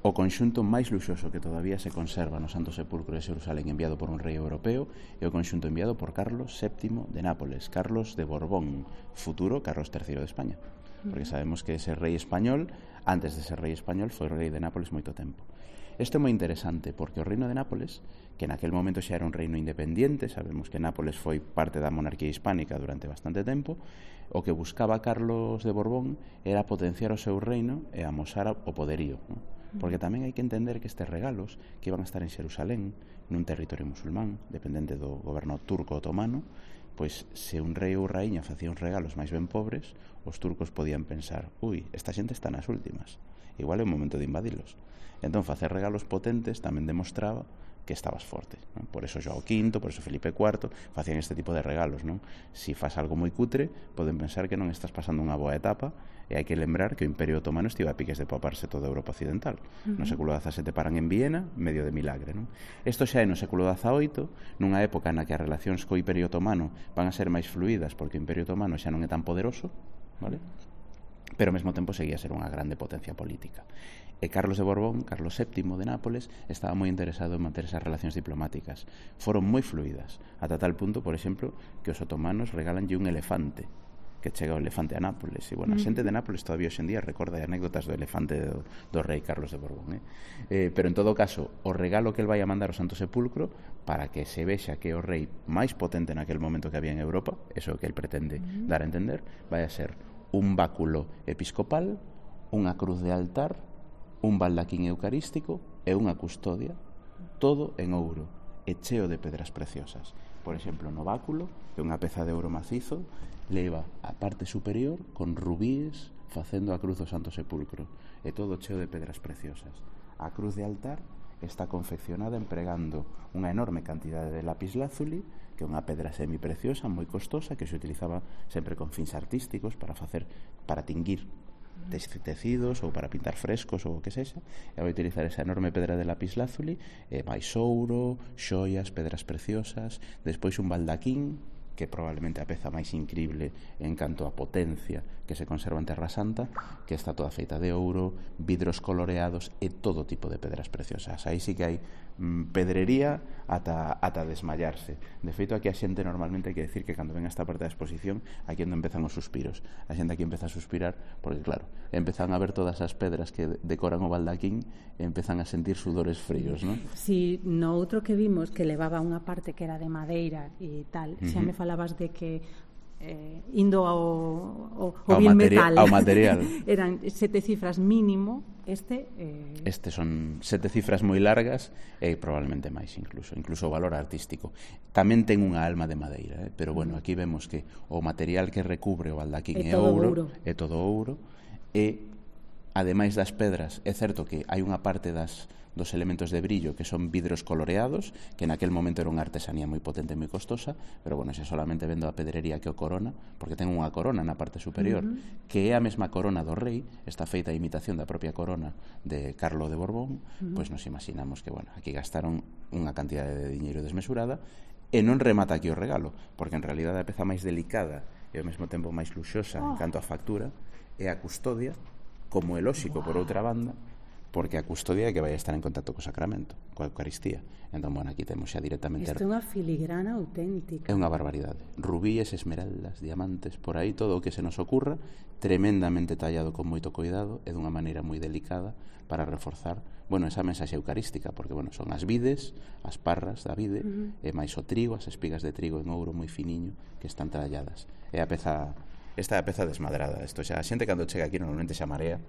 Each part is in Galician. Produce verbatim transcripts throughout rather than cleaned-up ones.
o conxunto máis luxoso que todavía se conserva no Santo Sepulcro de Xerusalén enviado por un rei europeo é o conxunto enviado por Carlos séptimo de Nápoles, Carlos de Borbón, futuro Carlos terceiro de España, porque sabemos que ese rei español, antes de ser rei español, foi rei de Nápoles moito tempo. Isto é moi interesante porque o reino de Nápoles, que naquel momento xa era un reino independiente, sabemos que Nápoles foi parte da monarquía hispánica durante bastante tempo, o que buscaba Carlos de Borbón era potenciar o seu reino e amosar o poderío, non? Porque tamén hai que entender que estes regalos que iban a estar en Xerusalén, nun territorio musulmán, dependente do goberno turco otomano, pois se un rei ou raíña facía uns regalos máis ben pobres, os turcos podían pensar, ui, esta xente está nas últimas, igual é o momento de invadilos. Entón, facer regalos potentes tamén demostraba que estabas forte, non? Por eso João quinto, por eso Felipe cuarto facían este tipo de regalos, non? Si faz algo moi cutre, poden pensar que non estás pasando unha boa etapa, e hai que lembrar que o Imperio Otomano estiva a piques de paparse toda a Europa Occidental. Uh-huh. No século dezasete paran en Viena, medio de milagre, non? Isto xa é no século dezaoito, nunha época na que as relacións co Imperio Otomano van a ser máis fluídas porque o Imperio Otomano xa non é tan poderoso, vale? Pero ao mesmo tempo seguía a ser unha grande potencia política. E Carlos de Borbón, Carlos séptimo de Nápoles, estaba moi interesado en manter esas relacións diplomáticas. Foron moi fluídas, ata tal punto, por exemplo, que os otomanos regalanlle un elefante, que chega o elefante a Nápoles. E, bueno, a xente de Nápoles todavía hoxe en día recorda anécdotas do elefante do, do rei Carlos de Borbón, eh? Eh, pero en todo caso, o regalo que el vai a mandar ao Santo Sepulcro, para que se vexa que é o rei máis potente naquel momento que había en Europa, eso que el pretende uh-huh. dar a entender, vai a ser un báculo episcopal, unha cruz de altar, un baldaquín eucarístico e unha custodia, todo en ouro e cheo de pedras preciosas. Por exemplo, no báculo, que é unha peza de ouro macizo, leva a parte superior con rubíes facendo a cruz do Santo Sepulcro, e todo cheo de pedras preciosas. A cruz de altar está confeccionada empregando unha enorme cantidade de lapislázuli, que é unha pedra semipreciosa moi costosa que se utilizaba sempre con fins artísticos para facer, para tinguir tecidos ou para pintar frescos ou o que sexa, e vai utilizar esa enorme pedra de lapislázuli, e máis ouro, xoias, pedras preciosas, despois un baldaquín, que probablemente a peza máis increíble en canto a potencia que se conserva en Terra Santa, que está toda feita de ouro, vidros coloreados e todo tipo de pedras preciosas. Aí sí que hai mm, pedrería ata, ata desmayarse. De feito, aquí a xente normalmente hai que decir que cando ven esta parte da exposición, aquí onde empezan os suspiros. A xente aquí empeza a suspirar porque, claro, empezan a ver todas as pedras que decoran o baldaquín e empezan a sentir sudores fríos, non? Si, no outro que vimos que levaba unha parte que era de madeira e tal, uh-huh. xa me falabas de que eh, indo ao, ao, ao bien material, metal ao material eran sete cifras mínimo, este eh... este son sete cifras moi largas e probablemente máis incluso incluso o valor artístico tamén ten unha alma de madeira, eh? Pero bueno, aquí vemos que o material que recubre o baldaquín é, é ouro, ouro é todo ouro, e ademais das pedras é certo que hai unha parte das dos elementos de brillo que son vidros coloreados, que naquel momento era unha artesanía moi potente e moi costosa, pero bueno, xa solamente vendo a pedrería que o corona, porque ten unha corona na parte superior, uh-huh. que é a mesma corona do rei, está feita a imitación da propia corona de Carlo de Borbón, uh-huh. pois nos imaginamos que, bueno, aquí gastaron unha cantidade de diñeiro desmesurada, e non remata aquí o regalo, porque en realidad a peza máis delicada e ao mesmo tempo máis luxosa oh. en canto a factura é a custodia, como é lóxico, wow. por outra banda, porque a custodia é que vai estar en contacto co sacramento, coa Eucaristía. Entón, bueno, aquí temos xa directamente... Isto é unha filigrana auténtica. É unha barbaridade. Rubíes, esmeraldas, diamantes, por aí todo o que se nos ocurra, tremendamente tallado con moito cuidado e dunha maneira moi delicada para reforzar, bueno, esa mensaxe eucarística, porque, bueno, son as vides, as parras da vide, uh-huh. e máis o trigo, as espigas de trigo en ouro moi finiño que están talladas. É a peza... Esta é a peza desmadrada. Isto xa, a xente cando chega aquí normalmente xa marea.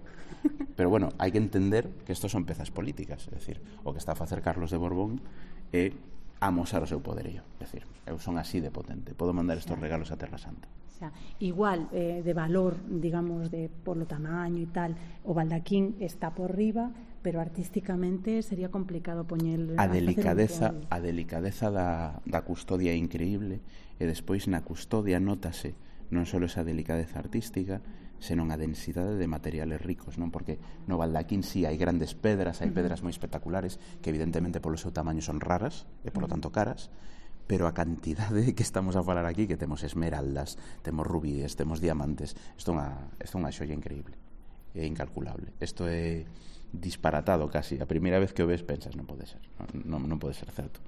Pero bueno, hai que entender que estos son pezas políticas. É dicir, o que está a facer Carlos de Borbón é amosar o seu poderío. É dicir, eu son así de potente. Podo mandar estos regalos a Terra Santa. Xa, igual, eh, de valor, digamos, de polo tamaño e tal, o baldaquín está por riba, pero artísticamente sería complicado poñer... A delicadeza, a delicadeza da, da custodia é increíble, e despois na custodia nótase non só esa delicadeza artística, senón a densidade de materiales ricos, non? Porque no baldaquín sí hai grandes pedras, hai pedras moi espectaculares que evidentemente polo seu tamaño son raras e polo tanto caras, pero a cantidade que estamos a falar aquí, que temos esmeraldas, temos rubíes, temos diamantes, isto é unha, isto é unha xoia increíble, é incalculable. Isto é disparatado casi. A primeira vez que o ves pensas, non pode ser, non, non pode ser certo.